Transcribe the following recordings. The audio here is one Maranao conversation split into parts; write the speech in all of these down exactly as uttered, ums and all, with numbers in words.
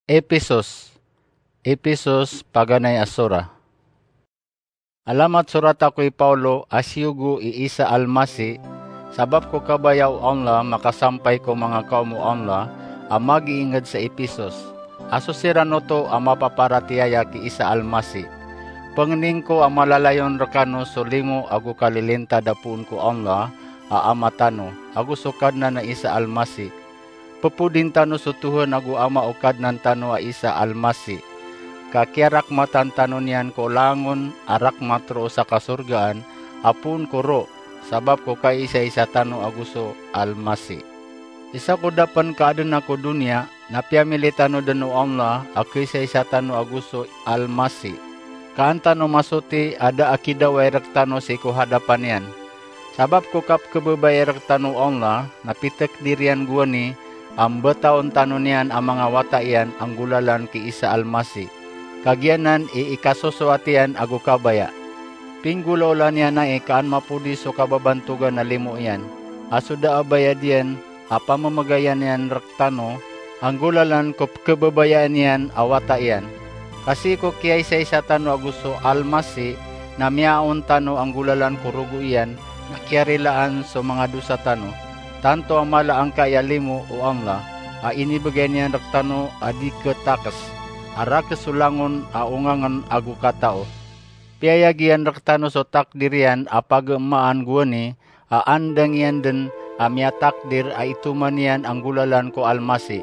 Episos. Episos, paganay a sora. Alamat sorat ako i Paulo a siyogo i Isa Almasi, sabap ko kabaya o Allah makasampay ko manga kaom o Allah a magiinged sa Episos, a so siran oto a mapaparatiyaya ki Isa Almasi. Pengnin ko a malalayon rekano so limo ago kalilintad a poon ko Allah a Ama tano, ago so Kadnan a Isa Almasi. Pepodin tano so Tuhan ago Ama o Kadnan tano a Isa Almasi, ka kiyarakmatan tano niyan ko langon a rakmat roo sa kasorgaan a poon ko ro, sabap ko kaisaisa tano ago so Almasi. Isa ko da pen ka aden a ko doniya, na piyamili tano den o Allah a kaisaisa tano ago so Almasi. Ka an tano masoti a da a kidaway rektano sii ko hadapan iyan. Sabap ko kapkebebaya rektano o Allah, na pitakdir iyan gowani a mbetaon tano niyan a manga wata iyan a nggolalan ki Isa Almasi, ka giyanan i ikasosoat iyan ago kabaya. Pinggolaola niyan ai ka an mapodi so kababantogan a limo iyan, a so da a bayad iyan a pamemegayan iyan rektano a nggolalan ko pekebebayaan iyan a wata iyan. Ka sii ko kiyaisaisa tano ago so Almasi, na miyaaon tano a nggolalan ko rogo iyan, na kiyarilaan so manga dosa tano. Tanto a mala angkai a limo o Allah a inibegay niyan rektano a di ketakes, a rakes so langon a ongangen ago katao. Piyayag iyan rektano so takdir iyan a pagemaan gowani, a andang iyan den a miyatakdir a itoman iyan a nggolalan ko Almasi.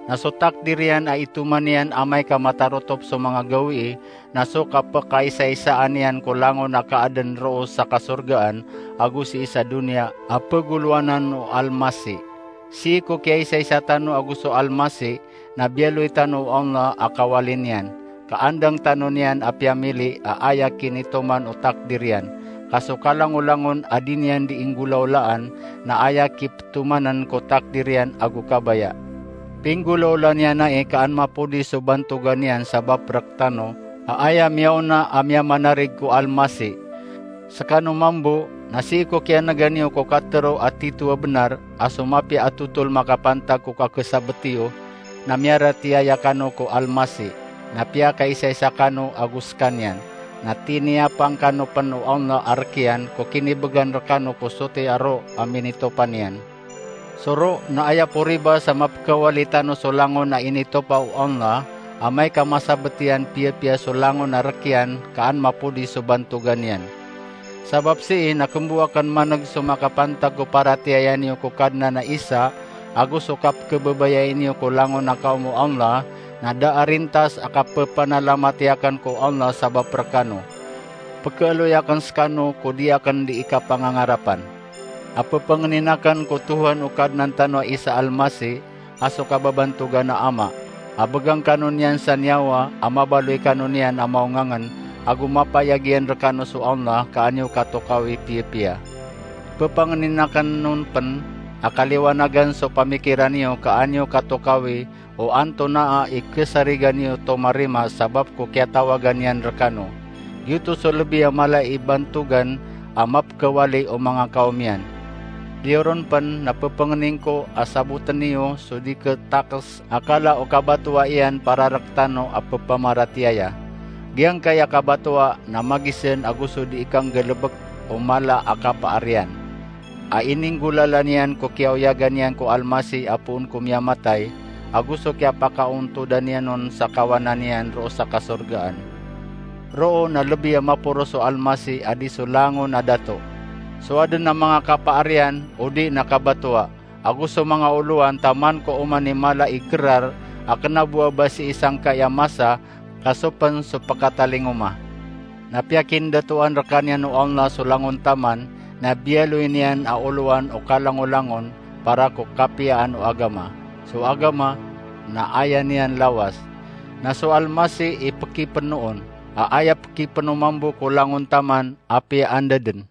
Na so takdir iyan a itoman iyan amay ka matarotop so manga gawii, na so kapekaisaisaan iyan ko langon a kaaden roo sa kasorgaan ago sii sa doniya a pegolowanan o Almasi. Sii ko kiyaisaisa tano ago so Almasi, na biyaloy tano o Allah a kawali niyan, ka andang tano niyan a piyamili a aya kinitoman o takdir iyan, ka so kalangolangon a di niyan di inggolaolaan, na aya kipetomanen ko takdir iyan ago kabaya. Pinggolaola niyan ai ka an mapodi so bantogan iyan sabap rektano, a aya miyaona a miyamanarig ko Almasi. Sekano mambo, na sii ko kiyanegan iyo ko katero a tito a benar, a so mapiya a totol makapantag ko kakesabet iyo, na miyaratiyaya kano ko Almasi, na piyakaisaisa kano ago sekaniyan, na tiniyapang kano pen o Allah a rek iyan ko kinibegan rekano ko soti a ro a minitopan iyan. So ro na aya po riba sa mapekawali tano so langon a initopa o Allah, amay ka masabet iyan piyapiya so langon a rek iyan ka an mapodi so bantogan iyan. Sabap sii na kembo aken maneg so makapantag ko paratiyaya niyo ko Kadnan a Isa, ago so kapekebebaya niyo ko langon a kaom o Allah, na da a rintas a kapepanalamat iyaken ko Allah sabap rekano. Pekeloy aken sekano ko di aken di ikapangangarapan. A pepengnin aken ko Tuhan o Kadnan tano a Isa Almasi, a so kababantogan a Ama, a begang kano niyan sa niyawa, a mabaloy kano niyan a maongangen, ago mapayag iyan rekano so Allah ka an iyo katokawi piyapiya. Pepengnin aken on pen a kaliwanagan so pamikiran iyo ka an iyo katokawi o antonaa i kesarigan iyo tomarima sabap ko kiyatawagan iyan rekano. Giyoto so lebi a mala i bantogan a mapekawali o manga kaom iyan. Biyoron pen na pepengnin ko a saboten iyo so di ketakes a kala o kabatoa iyan para rektano a pepamaratiyaya. Giyangkai a kabatoa na magisen ago so di ikanggalebek o mala a kapaar iyan, a ininggolalan iyan ko kiyaoyagan iyan ko Almasi a poon ko miyamatay, ago so kiyapakaontodan iyan on sa kawanan iyan roo sa kasorgaan. Roo na lebi a maporos so Almasi a di so langon a dato, so aden a manga kapaar iyan, odi na kabatoa, ago so manga olowan taman ko oman i mala i kerar a kena bo a ba sii sangkai a masa, ka so pen so pekatalingoma. Na piyakindatoan rekaniyan o Allah so langon taman, na biyaloy niyan a olowan o kalangolangon para ko kapiyaan o agama. So agama na aya niyan lawas. Na so Almasi i pekipeno on, a aya pekipeno mambo ko langon taman a piyaan da den.